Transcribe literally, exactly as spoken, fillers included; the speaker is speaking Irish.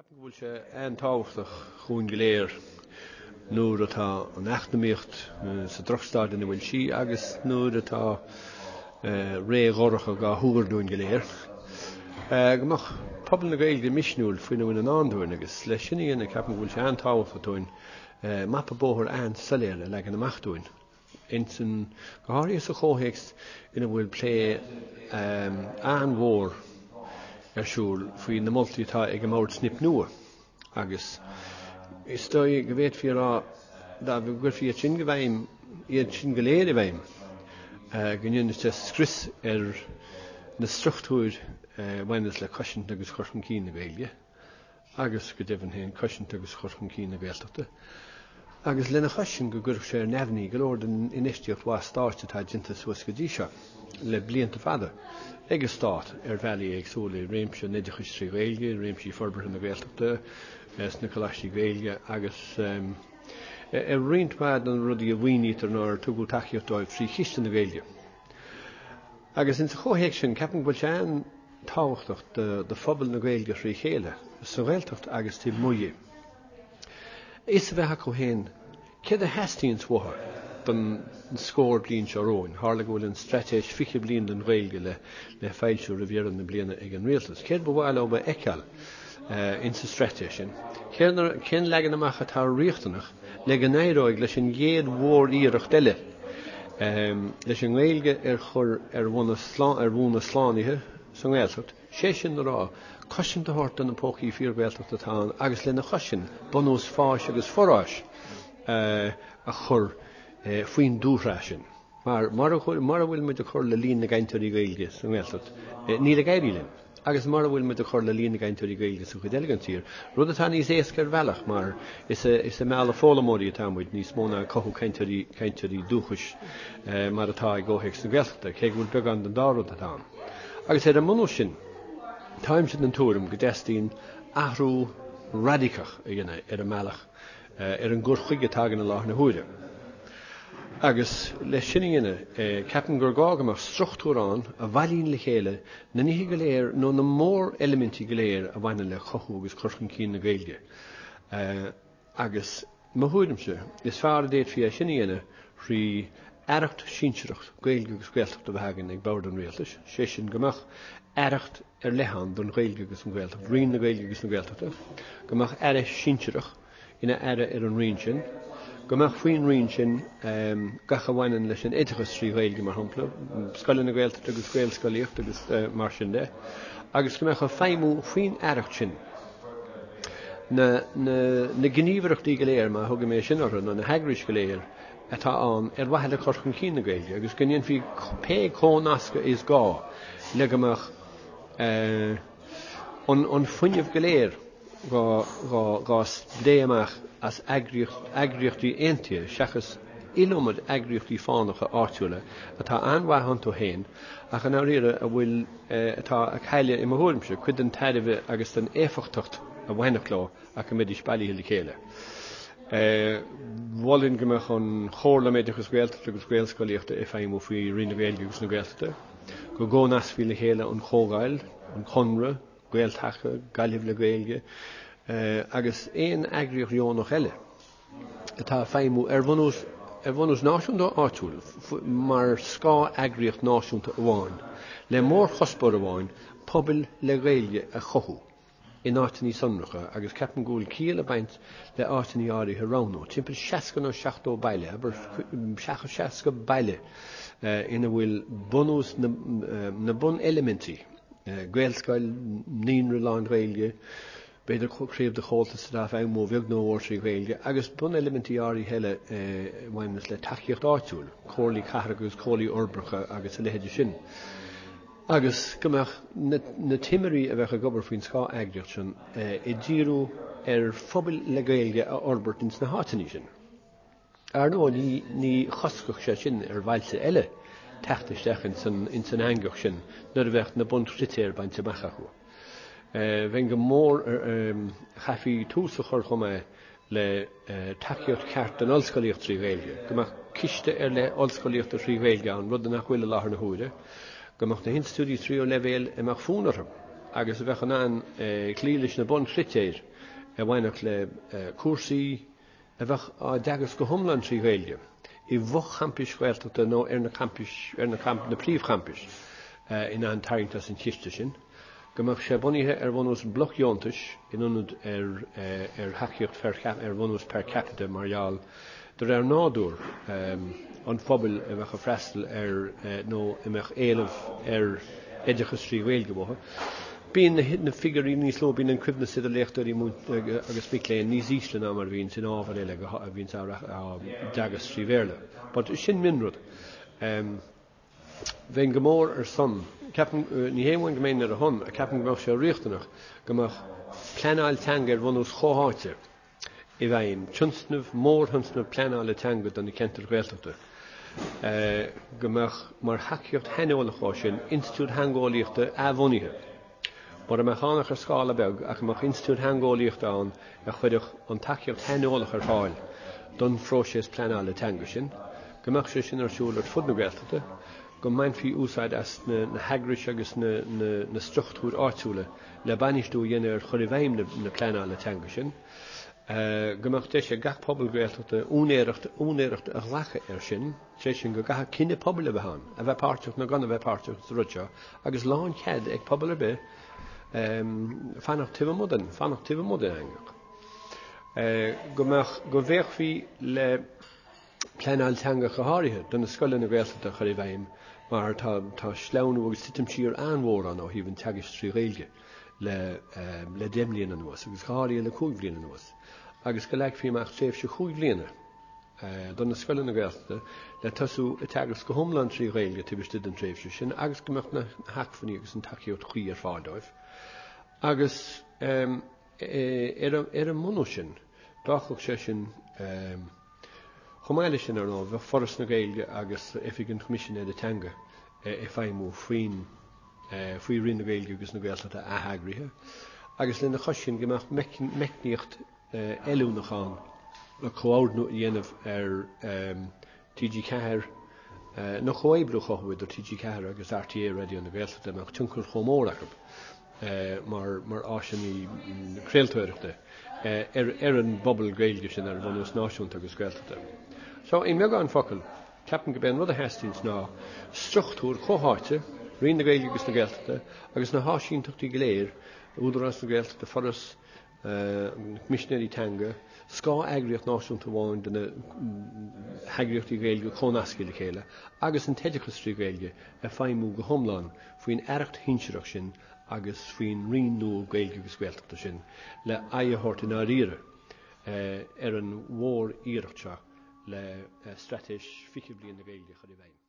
Ceapaim go bhfuil sé an-tábhachtach dhúinn go léir nuair atá an eacnamaíocht sa drochstaid ina bhfuil sí agus nuair atá ré dhorcha dhá thuar dúinn go léir, go mbeadh pobal na Gaeilge misniúil faoina bhfuil i ndán dúinn agus leis sin a dhéanamh ceapaim go bhfuil sé an-tábhachtach dúinn mapa bóthair an-soiléir a leagan amach dúinn. Insan, go háirithe sa chomhthéacs ina bhfuil plé an-mhór ar siúl faoi na moltaí atá ag an mBord Snip Nua agus is dóigh go bhféadfaí a rá dá gcuirfí iad sin go bhfeidhm, iad sin go léir i bhfeidhm, go ndéanfadh sé scrios ar na struchtúir a bhaineas le cosaint agus cur chun cinn na Gaeilge agus go deimhin féin cosaint agus cur chun cinn na Gaeltachta. Agus lena chois sin go gcuirfeadh sé ar neamhní go leor den infheistíocht mhaith stáit atá déanta suas go dtí seo le blianta fada ag an stát ar bhealaí éagsúla i réimse an oideachais trí Ghaeilge, i réimsí forbartha na Gaeltachta, sna coláistí Gaeilge agus ar roinnt mhaith de na rudaí a mhaoinítear nó ar tugadh tacaíocht dóibh trí Chiste na Gaeilge. Agus insa chomhthéacs sin, ceapaim go bhfuil sé an-tábhachtach do phobal na Gaeilge thrí chéile, sa Ghaeltacht agus taobh amuigh di, fhios a bheith acu féin céard a theastaíonns uathu don scór bliain seo romhainn. Tharla go bhfuil an Straitéis fiche Bliain don Ghaeilge le le foilsiú roimh dheireadh na bliana ag an Rialtas. Céard ba mhaith leo a fheiceáil insa straitéis sin? Cén leagan amach atá riachtanach le go n-éireoidh leis an gcéad mhór-iarracht eile leis an nGaeilge ar chur ar bhonn a slánaithe sa nGaeltacht, sé sin le rá, cosaint a thabhairt do na pócaí fíor-Ghaeltachta atá ann agus lena chois sin, bunús fáis agus foráis a chur faoin dúshraith sin. Mar mura bhfuil muid ag cur le líon na gcainteoirí Gaeilge sa nGaeltacht, níl ag éirí linn. Agus mura bhfuil muid ag cur le líon na gcainteoirí Gaeilge sa chuid eile den tír, rud atá níos éasca ar bhealach mar is ag mealladh foghlaimeoirí atá muid níos mó ná ag cothú cainteoirí cainteoirí dúchais mar atá i gcomhthéacs na Gaeltachta, cé go bhfuil beagán den dá rud atá ann. Agus ar an mbunús sin, táimse den tuairim go dteastaíonn athrú radacach a dhéanamh ar an mbealach, ar an gcur chuige atá againn i láthair na huaire. Agus leis sin a dhéanamh, ceapaim gur gá go mbeadh struchtúr ann a bhailíonn le chéile na nithe go léir nó na móreilimintí go léir a bhaineann le cothú agus cur chun cinn na Gaeilge. Agus mo thuairimse, is fearr a d'fhéadfaí é sin a dhéanamh thrí aireacht shinsearach Gaeilge agus Gaeltachta a bheith againn ag bord an rialtais, sé sin go mbeadh aireacht ar leith ann don Ghaeilge agus an Ghaeltacht, Roinn na Gaeilge agus na Gaeltachta, go mbeadh aire sinsearach ina aire ar an roinn sin, go mbeadh faoin roinn sin gach a bhaineann leis an oideachas trí Ghaeilge, mar shampla, scoileanna Gaeltachta agus Gaelscolaíocht agus mar sin de, agus go mbeadh ag feidhmiú faoin aireacht sin na na gníomhaireachtaí go léir, má thugaim é sin orthu, nó na heagrais go léir atá ann ar mhaithe le cur chun cinn na Gaeilge agus go ndéanfaí pé comhnascadh is gá le go mbeadh an fuinneamh go léir dhá spréadh amach as eagraíochtaí aontaithe seachas iliomad eagraíochtaí fánacha áitiúla atá an-mhaith iontu féin ach i ndáiríre a bhfuil, atá ag cailleadh, i mo thuairimse, cuid den tairbhe agus den éifeachtacht a bhainfeadh leo ach go mbeidís bailithe le chéile. Mholfainn go mbeadh an Chomhairle um Oideachas Gaeltachta agus Gaelscolaíochta ag feidhmiú faoi Roinn na Gaeilge agus na Gaeltachta, go gcomhnascfaí le chéile an Chomhdháil, an Conradh, Gael-Taca, Gaillimh le Gaeilge agus aon eagraíocht dheonach eile atá ag feidhmiú ar bhunús ar bhunús náisiúnta nó áitiúil mar scáth-eagraíocht náisiúnta amháin le mórchuspóir amháin, pobail le Gaeilge a chothú. in áiteanna sonracha agus ceapaim go bhfuil ciall ag baint le áiteanna áirithe a roghnú, timpeall seasca nó seachtó baile, abair seasca baile ina bhfuil bunús na, na buneilimintí, Gaelscoil, naíonra lán-Ghaeilge, b'fhéidir craobh de Chomhaltas atá ag feidhmiú a bheag nó a mhór trí Ghaeilge, agus buneilimintí áirithe eile a bhaineanns le tacaíocht áitiúil, comhairlí cathrach agus comhairlí uirbeacha agus a leithéide sin. agus go mbeadh na timirí a bheadh ag obair faoin scáth-eagraíocht sin ag díriú ar phobail le Gaeilge a fhorbairt ins na háiteanna sin. Ar ndóigh, ní ní choscfadh sé sin ar bhailte eile teacht isteach ins an ins an eangach sin nuair a bheadh na bunchritéir bainte amach acu. Bheinn go mór chaithfí tús a chur chomh maith le tacaíocht cheart don ollscolaíocht trí Ghaeilge, go mbeadh ciste ar leith ollscolaíochta trí Ghaeilge ann, rud nach bhfuil i láthair na huaire, go mbeadh na hinstitiúidí tríú leibhéal a mbeadh fonn orthu agus a bheadh in ann cloí leis na bunchritéir a bhainfeadh le cúrsaí a bheadh á dteagasc go hiomlán trí Ghaeilge i bhfochampais Ghaeltachta nó ar na campais, ar na camp, na príomhchampais in ann tarraingt as an chiste sin, go mbeadh sé bunaithe ar bhunús blocdheontais in ionad ar ar thacaíocht ar bhunús per capita mar gheall de réir nádúr an phobail a bheadh ag freastal ar nó a mbeadh éileamh ar oideachas trí Ghaeilge uathu. Bíonn na figiúirí níos lú, bíonn an coibhneas idir léachtóirí agus mic léinn níos ísle ná mar a bhíonn in ábhair eile a bhíonn á dteagasc trí Bhéarla. But sin mionrud. Bheinn go mór ar son, ceapaim, ní hé amháin go mbeinn ar a shon, ach ceapaim go mbeadh sé riachtanach go mbeadh pleanáil teanga ar bhunús chomhtháite i bhfeidhm, tionscnamh, mórthionscnamh pleanála teanga do na ceantair Ghaeltachta, go mbeadh mar thacaíocht shaineolach dhó sin institiúid theangeolaíochta athbhunaithe, mura mbeadh ann ach ar scála beag, ach go mbeadh institiúid theangeolaíochta ann a chuirfeadh an tacaíocht shaineolach ar fáil don phróiseas pleanála teanga sin, go mbeadh sé sin ar siúl ar fud na Gaeltachta, go mbainfí úsáid as na heagrais agus na struchtúir áitiúla le bainistiú a dhéanamh ar chur i bhfeidhm na pleanála teanga sin, go mbeadh deis ag gach pobal Gaeltachta úinéireacht úinéireacht a ghlacadh air sin, sé sin go gcaithfeadh cinneadh pobail a bheith ann, a bheith páirteach nó gan a bheith páirteach sa rud seo, agus lánchead ag pobal ar bith fanacht taobh amuigh den, fanacht taobh amuigh den eangach. Go mbeadh, go bhféachfaí le pleanáil teanga go háirithe do na scoileanna Gaeltachta a chur i bhfeidhm mar tá tá sleamhnú agus titim siar an-mhór ann ó thaobh an teagaisc trí Ghaeilge le le deich mbliana anuas agus go háirithe le cúig bhliain anuas agus go leagfaí amach tréimhse chúig bhliana do na scoileanna Gaeltachta le tosú ag teagasc go hiomlán trí Ghaeilge taobh istigh den tréimhse sin agus go mbeadh na hacmhainní agus an tacaíocht chuí ar fáil dóibh. Agus ar ar an mbunús sin, d'fhágfadh sé sin Chomh maith leis sin, ar ndóigh, bheadh Foras na Gaeilge agus Oifig an Choimisinéara Teanga ag feidhmiú faoin faoi Roinn na Gaeilge agus na Gaeltachta atheagraithe agus lena chois sin go mbeadh meicníocht fheiliúnach ann le comhordnú a dhéanamh ar T G ceathair nó comhoibriú a chothú idir T G ceathair agus R T É Raidió na Gaeltachta a mbeadh tionchar chomh mór acu mar mar áiseanna craoltóireachta ar ar an bpobal Gaeilge sin ar bhunús náisiúnta agus Gaeltachta. So, i mbeagán focal, ceapaim gurb é an rud a theastaíonns ná struchtúr comhtháite, Roinn na Gaeilge agus na Gaeltachta, agus na háisíntachtaí go léir, Údarás na Gaeltachta, Foras, na Coimisinéirí Teanga, scáth-eagraíocht náisiúnta amháin de na heagraíochtaí Gaeilge comhnasctha le chéile, agus an t-oideachas trí Ghaeilge ag feidhmiú go hiomlán faoin aireacht shinsearach sin agus faoin Roinn nua Gaeilge agus Gaeltachta sin le aghaidh a thabhairt i ndáiríre ar an mhór-iarracht seo le Straitéis Fiche Bliain na Gaeilge a chur i bhfeidhm.